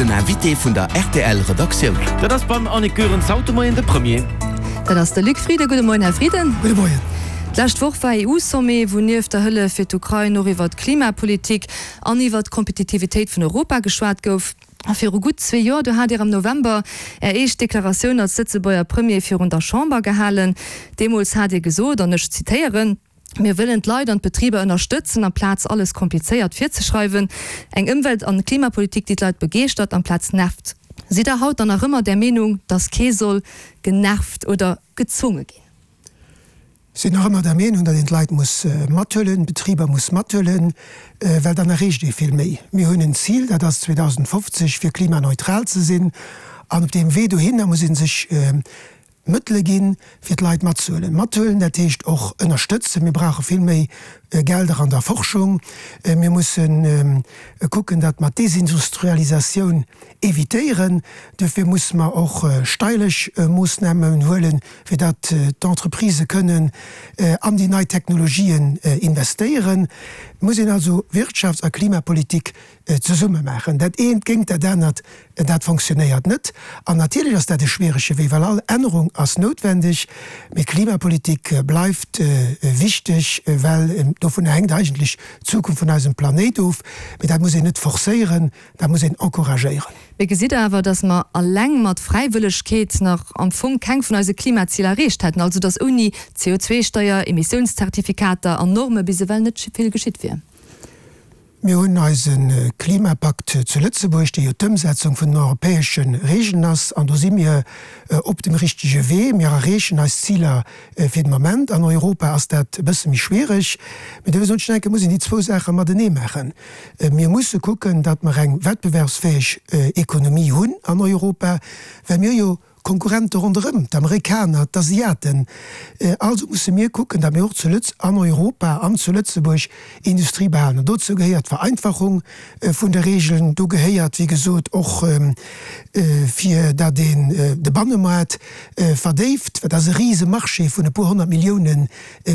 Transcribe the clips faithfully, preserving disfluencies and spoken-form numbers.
Den Invité vun der R T L Redaktioun. Dat ass beim Annick Goerens haut de Moien de Premier. Dat ass de Luc Frieden. Gudde Moien, Här Frieden. Gudde Moien. D'lescht Woch war E U-Sommet, wou nieft der Hëllef fir d'Ukrain och iwwer d'Klimapolitik an iwwer d'Kompetitivitéit vun Europa geschwat gouf. A viru gutt zwee Joer, do hat Dir am November Är éischt Deklaratioun als Lëtzebuerger Premier virun der Chamber gehalen. Deemools hat Dir gesot, an ech zitéieren, Mir wëllen d'Leit an d'Betriber ënnerstëtzen, amplaz alles komplizéiert virzeschreiwen. Eng Ëmwelt an Klimapolitik, déi d'Leit begeeschtert, amplaz nervt. Sidd Der haut dann nach ëmmer där Meenung, datt kee soll genervt oder gezwonge ginn? Sinn nach ëmmer der Meenung, datt een d'Leit muss mathuelen, d'Betriber muss mathuelen, well dann erreecht ee vill méi. Mir hunn en Zil, dat ass zweedausendfofzeg fir klimaneutral ze sinn. An op deem Wee dohinner muss ee sech Mëttele ginn, fir d'Leit matzehuelen. Mathuelen, dat heescht och ënnerstëtzen. Mir brauche vill méi Gelder an der Forschung. Mir musse kucken, datt mer d'Desindustrialisatioun evitéieren. Duerfir musse mer och steierlech Moossnamen huelen, fir datt d'Entreprisë kënnen an déi nei Technologien investéieren. Et muss een also Wirtschafts a Klimapolitik zesumme maachen. Dat eent géint dat anert, dat fonctionnéiert net. An natierlech ass dat e schwierege Wee, well all Ännerung ass noutwendeg. Mee d'Klimapolitik bleift wichteg, well dovunner hänkt eigentlech d'Zukunft vun eisem Planéit of. Mee dat muss een net forcéieren, dat muss een encouragéieren. Mee gesitt Der awer, datt mer alleng mat Fräiwëllegkeet nach am Fong keng vun eise Klimaziler erreecht hätten, also datt ouni C O zwei Steier, Emissiounszertifikater an Norme bis ewell net vill geschitt wier? Mir hunn eise Klimapakt zu Lëtzebuerg, dee jo d'Ëmsetzung vun den europäesche Regeln ass, an do si mir op dem richtege Wee. Mir erreechen eis Ziler fir den Moment. An Europa ass dat e bësse méi schwiereg. Mee dofir soen ech, denke muss een déi zwou Saache matenee maachen. Mir musse kucken, datt mer eng wettbewerbsfäeg Ekonomie hunn an Europa, well mir jo Konkurrente ronderëm, d'Amerikaner, d'Asiaten. Also musse mir kucken, datt mir och zu Lëtz, an Europa an zu Lëtzebuerg Industrie behalen. An dozou gehéiert d'Vereinfachung vun de Regeln. Do gehéiert, wéi gesot, och fir datt een de Bannemaart verdéift, well dat ass e Risemarché vun e puer honnert Millioune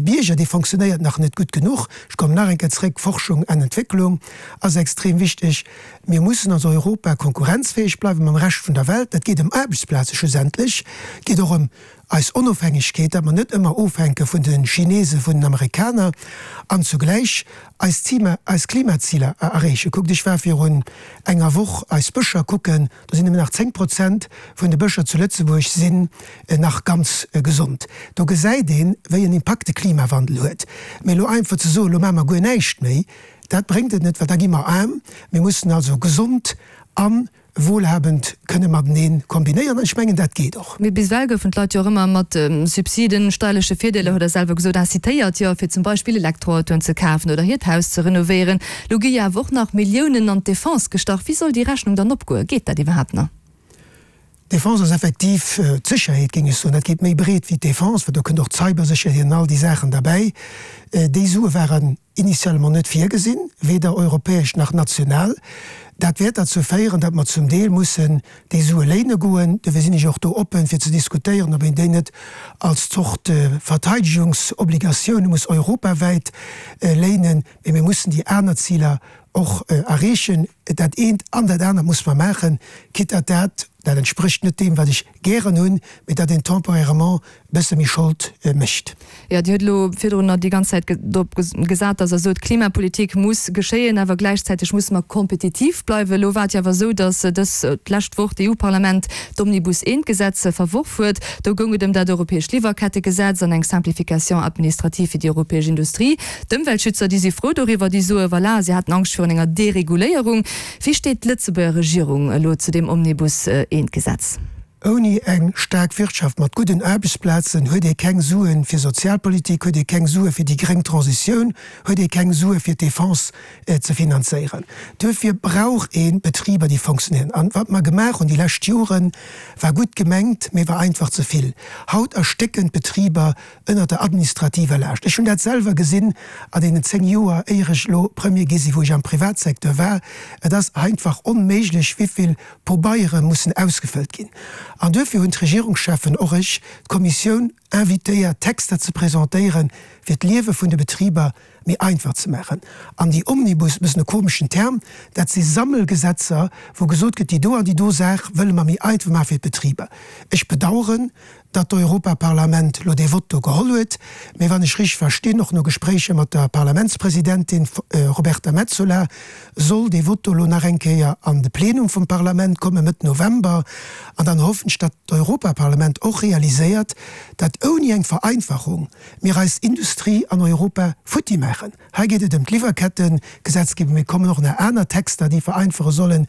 Bierger, dee fonctionnéiert nach net gutt genuch. Ech kommen nach eng Kéier zréck, Forschung an Entwécklung ass extrem wichteg. Mir mussen als Europa konkurrenzfäeg bleiwen mam Rescht vun der Welt. Dat geet ëm Aarbechtsplaze schlussendlech, geet och ëm eis Onofhängegkeet, datt mer net ëmmer ofhänke vun de Chinesen, vun den Amerikaner, an zugläich eis Zima, eis Klimaziler erreechen. Kuckt, ech war virun enger Woch eis Bëscher kucken, do sinn nëmmen nach zéng Prozent vun de Bëscher zu Lëtzebuerg sinn nach ganz gesond. Do gesäit een, wéi en Impakt de Klimawandel huet. Mee elo einfach ze soen, elo maache mer guer näischt méi, dat bréngt et net, well da gi mer aarm. Mir mussen also gesond a wohlhabend kënne matenee kombinéieren. An ech mengen, dat geet och. Mee bis ewell goufen d'Leit jo och ëmmer mat Subsiden, steierleche Virdeeler, hutt Der selwer gesot, incitéiert, jo, fir zum Beispill Elektroautoen ze kafen oder hiert Haus ze renovéieren. Elo gi jo awer och nach Milliounen an d'Defense gestach. Wéi soll déi Rechnung dann opgoen? Geet dat iwwerhaapt nach? D'Defense ass effektiv d'Sécherheet, géing ech soen. Dat geet méi breet wéi d'Defense, well do kënnt och d'Cybersécherheet an all déi Saachen derbäi. Déi Sue waren initialement net virgesinn, weder europäesch nach national. Dat wäert derzou féieren, datt mer zum Deel mussen déi Sue léine goen. Dofir sinn ech och do oppen, fir ze diskutéieren, ob een déi net als Zort Verteidegungsobligatioune muss europawäit léinen. Mee mir mussen déi aner Ziler och erreechen. Dat eent an dat anert muss mer maachen, quitte à dat, dat entsprécht net deem, wat ech gären hunn, mee datt een temporairement e bësse méi Schold mécht. Jo, Dir hutt elo virdrun nach déi ganz Zäit drop gesat, datt Der sot, Klimapolitik muss geschéien, awer gläichzäiteg musse mer kompetitiv bleiwen. Elo war et jo awer esou, datt dës d'lescht Woch d'E U-Parlament d'Omnibus I-Gesetz verworf huet. Do goung et ëm dat europäescht Liwwerkettegesetz an eng Simplification administrative fir déi europäesch Industrie. D'Ëmweltschützer, déi si frou doriwwer, déi soe, voilà, si haten Angscht virun enger Dereguléierung. Wéi steet d'Lëtzebuerger Regierung elo zu deem Omnibus I-Gesetz? Ouni eng staark Wirtschaft mat gudden Aarbechtsplazen huet ee keng Suen fir Sozialpolitik, huet ee keng Sue fir déi gréng Transitioun, huet ee keng Sue fir d'Defense ze finanzéieren. Duerfir brauch ee Betriber, déi fonctionnéieren. An wat mer gemaach hunn déi lescht Joren, war gutt gemengt, mee war einfach ze vill. Haut erstécken d'Betriber ënnert der administrativer Laascht. Ech hunn dat selwer gesinn an deenen zéng Joer, éier ech elo Premier gi sinn, wou ech am Privatsecteur war. Et ass einfach onméiglech, wéivill Pobeiere mussen ausgefëllt ginn. An duerfir hunn d'Regierungscheffen, och ech, d'Kommissioun invitéiert, Texter ze presentéieren, fir d'Liewe vun de Betriber méi einfach ze maachen. An déi Omnibus, e bëssen e komeschen Term, dat si Sammelgesetzer, wou gesot gëtt, déi do an déi do Saach wëlle mer méi einfach maache fir d'Betriber. Ech bedauern, datt d'Europaparlament elo dee Vott do geholl huet, mee wann ech richteg verstinn, och no Gespréicher mat der Parlamentspresidentin Roberta Metsola, soll dee Vott do elo nach eng Kéier an de Plenum vum Parlament komme Mëtt November. An dann hoffen ech, datt d'Europaparlament och realiséiert, datt ouni eng Vereinfachung mir eis Industrie an Europa futti maachen. Hei geet et ëm d'Liwwerkettengesetzgebung, mee et kommen och nach aner Texter, déi vereinfache sollen.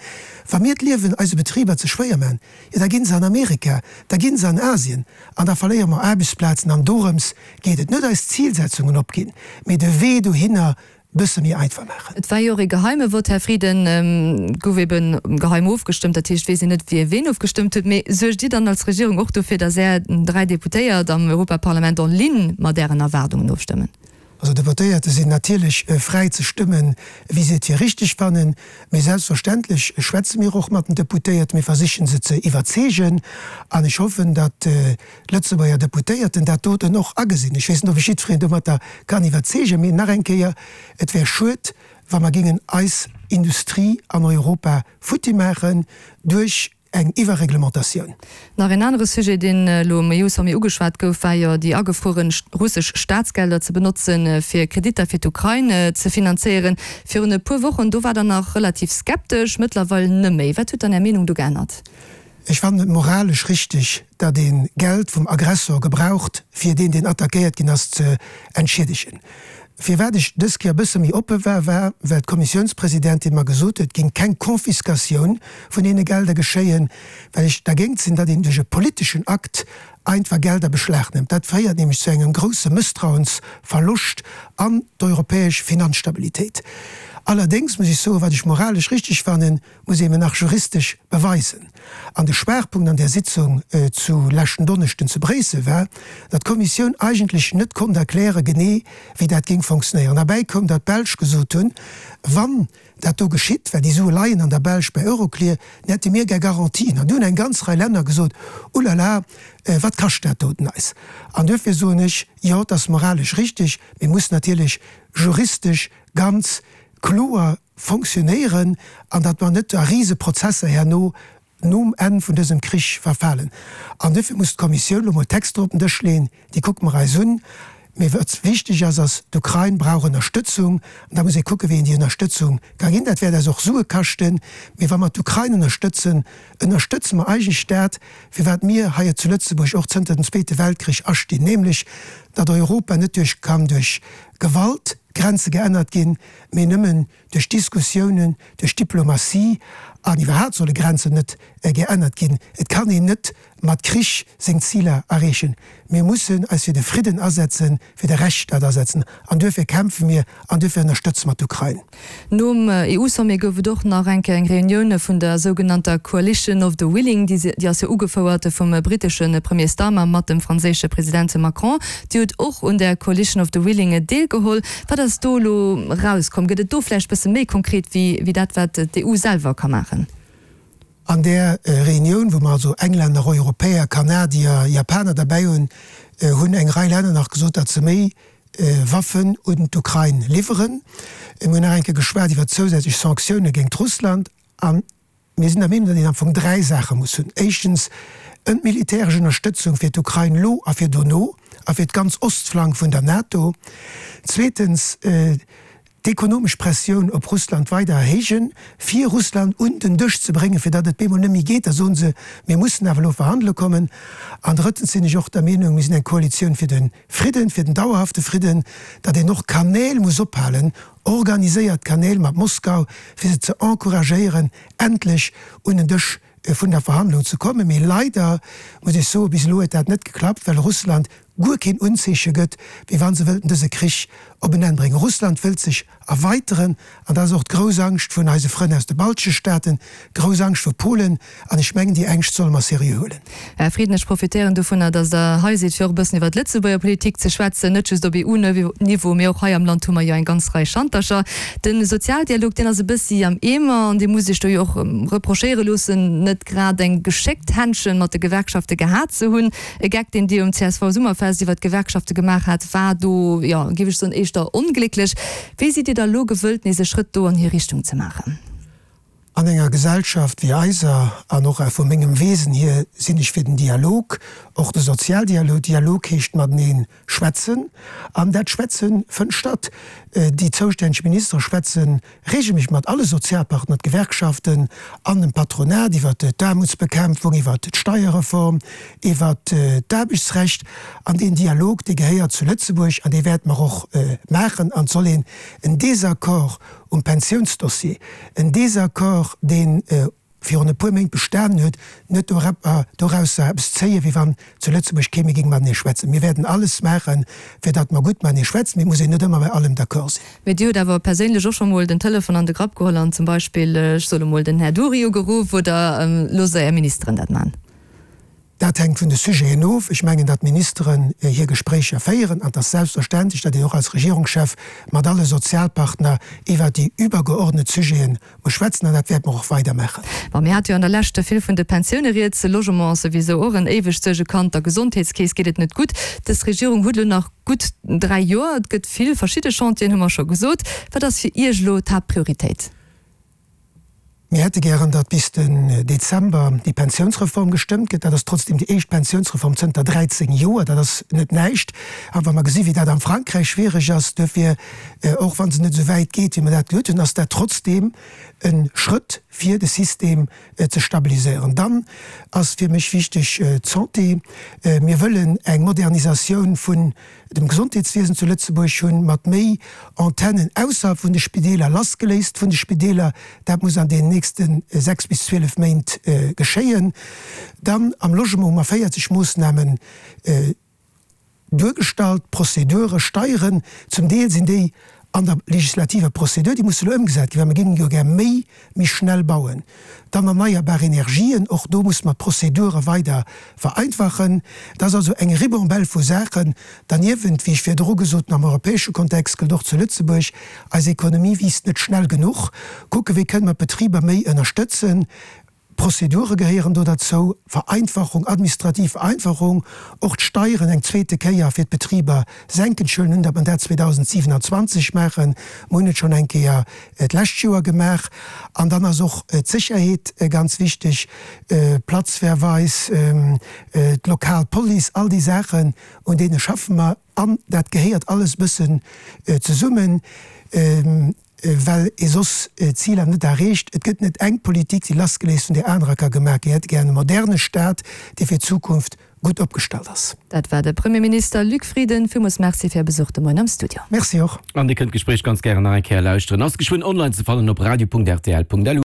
Wa mir d'Liewen eise Betriber ze schwéier maachen, jo da gi se an Amerika, da gi se an Asien an da verléiere mer Aarbechtsplazen. An dorëms geet et, net eis Zilsetzungen opginn, mee de Wee dohinner bësse méi einfach maachen. Et war jo och ee geheime Vott, Här Frieden, et gouf ebe geheim ofgestëmmt, dat heescht, et weess een net, wie ween ofgestëmmt huet. Mee suergt Dir dann als Regierung och dofir, datt Är dräi Deputéiert am Europaparlament en ligne mat Ären Erwaardungen ofstëmmen? Also Deputéierte sinn natierlech fräi ze stëmmen, wéi se et fir richteg fannen. Mee selbstverständlech schwätze mir och mat den Deputéierten, mir versichen se ze iwwerzeegen an ech hoffen, datt d'Lëtzebuerger Deputéierten dat doten och agesinn. Ech weess net, ob ech jiddwereen domatter kann iwwerzeegen, mee nach eng Kéier, et wär schued, wa mer géingen eis Industrie an Europa futti maachen duerch eng Iwwerreglementatioun. Nach een anere Sujet, deen elo um E U-Sommet ugeschwat gouf, war jo déi agefruere russesch Staatsgelder ze benotzen, fir Kreditter fir d'Ukrain ze finanzéieren. Virun e puer Wochen, do war Der nach relativ skeptesch, mëttlerweil nëmméi. Wat huet dann Är Meenung do geännert? Ech fannen et moralesch richteg, datt ee Geld vum Aggressor gebraucht, fir deen, deen attackéiert ginn ass, ze entschiedegen. Firwat ech dës Kéier e bësse méi oppe war, war, well d'Kommissiounspresidentin mer gesot huet, et géing keng Confiscatioun vun deene Gelder geschéien, well ech dergéint sinn, datt een duerch e politeschen Akt einfach Gelder beschlagnämmt. Dat féiert nämlech zu engem grousse Mësstrauensverloscht an d'europäesch Finanzstabilitéit. Allerdéngs muss ech soen, wat ech moralesch richteg fannen, muss ee mir nach juristesch beweisen. An de Schwaachpunkt an där Sitzung zu leschten Donneschden zu Bréissel war, datt d'Kommissioun eigentlech net konnt erkläre genee, wéi dat géing fonctionnéieren. Derbäi koum, datt d'Belsch gesot hunn, wann dat do geschitt, well déi Sue leien an der Belsch bei Euroclear, dann hätte mir gär Garantien. An du hunn eng ganz Rei Länner gesot, Ulala, wat kascht dat doten eis? An duerfir soen ech, jo, et ass moralesch richteg, mee muss natierlech juristesch ganz kloer fonctionnéieren an datt mer net a Riseprozesser herno nom Enn vun dësem Krich verfalen. An duerfir muss d'Kommissioun elo mol Texter op den Dësch leeën, déi kucke mer eis un. Mee wat wichteg ass, ass, d'Ukrain brauch Ënnerstëtzung an da muss ee kucken, wéi een déi Ënnerstëtzung ka ginn. Dat wäert eis och Sue kaschten. Mee wa mer d'Ukrain ënnerstëtzen, ënnerstëtze mer eigentlech dat, fir wat mir hei zu Lëtzebuerg och zënter dem Zweete Weltkrich astinn, nämlech datt Europa net duerch kann duerch Gewalt Grenze geännert ginn, mee nëmmen duerch Diskussiounen, duerch Diplomatie. An iwwerhaapt solle Grenzen net geännert ginn. Et kann een net mat Krich seng Ziler erreechen. Mir mussen eis fir de Fridden asetzen, fir de Rechtsstaat asetzen. An duerfir kämpfe mir an duerfir ënnerstëtze mer d'Ukrain. Nom E U-Sommet gouf et och nach eng Kéier eng Reunioun vun der sougenannter Coalition of the Willing. Déi ass jo ugefouert vum brittesche Premier Starmer mat dem franséische President Macron. Dir hutt och un där Coalition of the Willing deelgeholl. Wat ass do elo erauskomm? Gëtt et do vläicht bësse méi konkret wéi dat, wat d'E U selwer ka maachen? An där Reunioun, wou mer also Englänner, Europäer, Kanadier, Japaner derbäi hunn, hunn eng Rei Länner nach gesot, datt se méi Waffen un d'Ukrain liwweren. Mir hunn nach eng Kéier geschwat iwwer zousätzlech Sanktioune géint Russland. A mir sinn der Meenung, datt een am Fong dräi Saache muss hunn. Éischtens, en militäresch Ënnerstëtzung fir d'Ukrain elo a fir dono a fir d'ganz Ostflank vun der NATO. Zweetens, d'ekonomesch Pressioun op Russland weider erhéijen, fir Russland un den Dësch ze bréngen, fir datt et bemol net méi geet, da soen se, mir mussen awer elo verhandele kommen. An drëttens sinn ech och der Meenung, mir sinn eng Koalitioun fir de Fridden, fir den dauerhafte Fridden, datt een och Kanäl muss ophalen, organiséiert Kanäl mat Moskau, fir se ze encouragéieren, endlech un den Dësch vun der Verhandlung ze kommen. Mee leider muss ech soen, bis elo huet dat net geklappt, well Russland guer keen Unzeeche gëtt, wéi wa se wëllten dëse Krich op en Enn bréngen. Russland wëllt sech erweiteren an dat ass och d'grouss Angscht vun eise Frënn aus de baltesche Staaten, d'grouss Angscht vu Polen an ech mengen, déi Ängscht solle mer seriö huelen. Här Frieden, ech profitéieren dovunner, datt Der hei sidd, fir och e bëssen iwwer d'Lëtzebuerger Politik ze schwätzen, net just op E U-Niveau, mee och hei am Land hu mer jo eng ganz Rei Schantercher. De Sozialdialog, deen ass e bëssi am Eemer an Dir musst Iech do jo och reprochéiere loossen, net grad eng geschéckt Händchen mat de Gewerkschafte gehat ze hunn. E Geck, deen Dir um C S V-Summerfest iwwer d'Gewerkschafte gemaach hat, war do, jo, géif ech soen, éischter éischter onglécklech. Wéi sidd Dir da lo gewëllt, nees e Schrëtt do an hir Richtung ze maachen? An enger Gesellschaft wéi eiser, an och vu mengem Wesen hier, sinn ech fir den Dialog, och de Sozialdialog. Dialog heescht matenee schwätzen, an dat Schwätze fënnt statt. Déi zoustänneg Ministere schwätze reegelméisseg mat alle Sozialpartner, d'Gewerkschaften an dem Patronat iwwer d'Aarmutsbekämpfung, iwwer d'Steierreform, iwwer d'Aarbechtsrecht. An deen Dialog, dee gehéiert zu Lëtzebuerg an dee wäerte mer och maachen. An et soll een en Désaccord um Pensiounsdossier, en Désaccord, dee virun e puer Méint bestanen huet, net dorausser eppes zéien, wéi wann zu Lëtzebuerg kee méi géing matenee schwätzen. Mir wäerten alles maachen, fir datt mer gutt matenee schwätzen, mee et muss een net ëmmer bei allem d'accord sinn. Mee Dir hutt awer perséinlech och scho mol den Telefon an de Grapp geholl an zum Beispill, ech soe mol, den Här Duri ugeruff, oder loosst Der Är Ministeren dat man? Dat hänkt vun de Sujeten of. Ech mengen, datt d'Ministeren hir Gespréicher féieren an et ass selbstverständlech, datt een och als Regierungschef mat alle Sozialpartner iwwert déi übergeordnet Sujete muss schwätzen an dat wäerte mer och weider maachen. Bon, mir hate jo an der Lescht vill vun de Pensioune rieds, de Logement ass souwisou och en éiwegt Suergekand, der Gesondheetskeess geet et net gutt. Dës Regierung huet elo nach gutt dräi Joer, et gëtt vill verschidde Chantieren, hu mer scho gesot. Wat ass fir Iech elo d'Haaptprioritéit? Mir hätte gären, datt bis den Dezember déi Pensiounsreform gestëmmt gëtt. Dat ass trotzdeem déi éischt Pensiounsreform zënter dräizéng Joer. Dat ass net näischt. A wa mer gesi wéi dat am Frankräich schwiereg ass, duerfir, och wa se net esou wäit geet, wéi mer dat geduet hunn, ass dat trotzdeem e Schrëtt, fir de System ze stabiliséieren. Dann ass fir mech wichteg d'Santé. Mir wëllen eng Modernisatioun vun dem Gesondheetswiesen zu Lëtzebuerg hunn, mat méi Antennen ausserhalb vun de Spideeler, lassgeléist vun de Spideeler. Dat muss an deenen nächste sechs bis zwielef Méint geschéien. Dann am Logement hu mer véierzeg Moossnamen duergestallt, Prozedure, Steieren, zum Deel sinn déi an der legislativer Prozedur, déi musse elo ëmgesat ginn, well mir géingen jo gär méi, méi schnell bauen. Dann erneierbar Energien, och do musse mer d'Prozedure weider vereinfachen. Dat ass also eng Ribambelle vu Saachen. Derniewent, wéi ech virdru gesot hunn, am europäesche Kontext gëllt och zu Lëtzebuerg, eis Ekonomie wiisst net schnell genuch. Kucken, wéi kënne mer d'Betriber méi ënnerstëtzen. Prozedure gehéieren do derzou, Vereinfachung, administrativ Vereinfachung, och d'Steieren eng zweete Kéier fir d'Betriber senken. Ech huelen un, datt mer dat zweedausendsiwenanzwanzeg maachen. Mer hunn et schonn eng Kéier d'lescht Joer gemaach. An dann ass och d'Sécherheet ganz wichteg, Platzverweis, d'lokal Police, all déi Saachen, un deene schaffe mer. An dat gehéiert alles e bëssen zesummen. Well ee soss d'Ziler net erreecht. Et gëtt net eng Politik, déi lassgeléist vun där anerer ka gemaach ginn. Mir hätte gären e moderne Staat, dee fir d'Zukunft gutt opgestallt ass. Dat war de Premierminister Luc Frieden. Villmools Merci fir Är Besuch de Moien am Studio. Merci och. An Dir kënnt d'Gespréich ganz gären nach eng Kéier lauschteren. Ass geschwënn online ze fannen op radio punkt rtl punkt lu.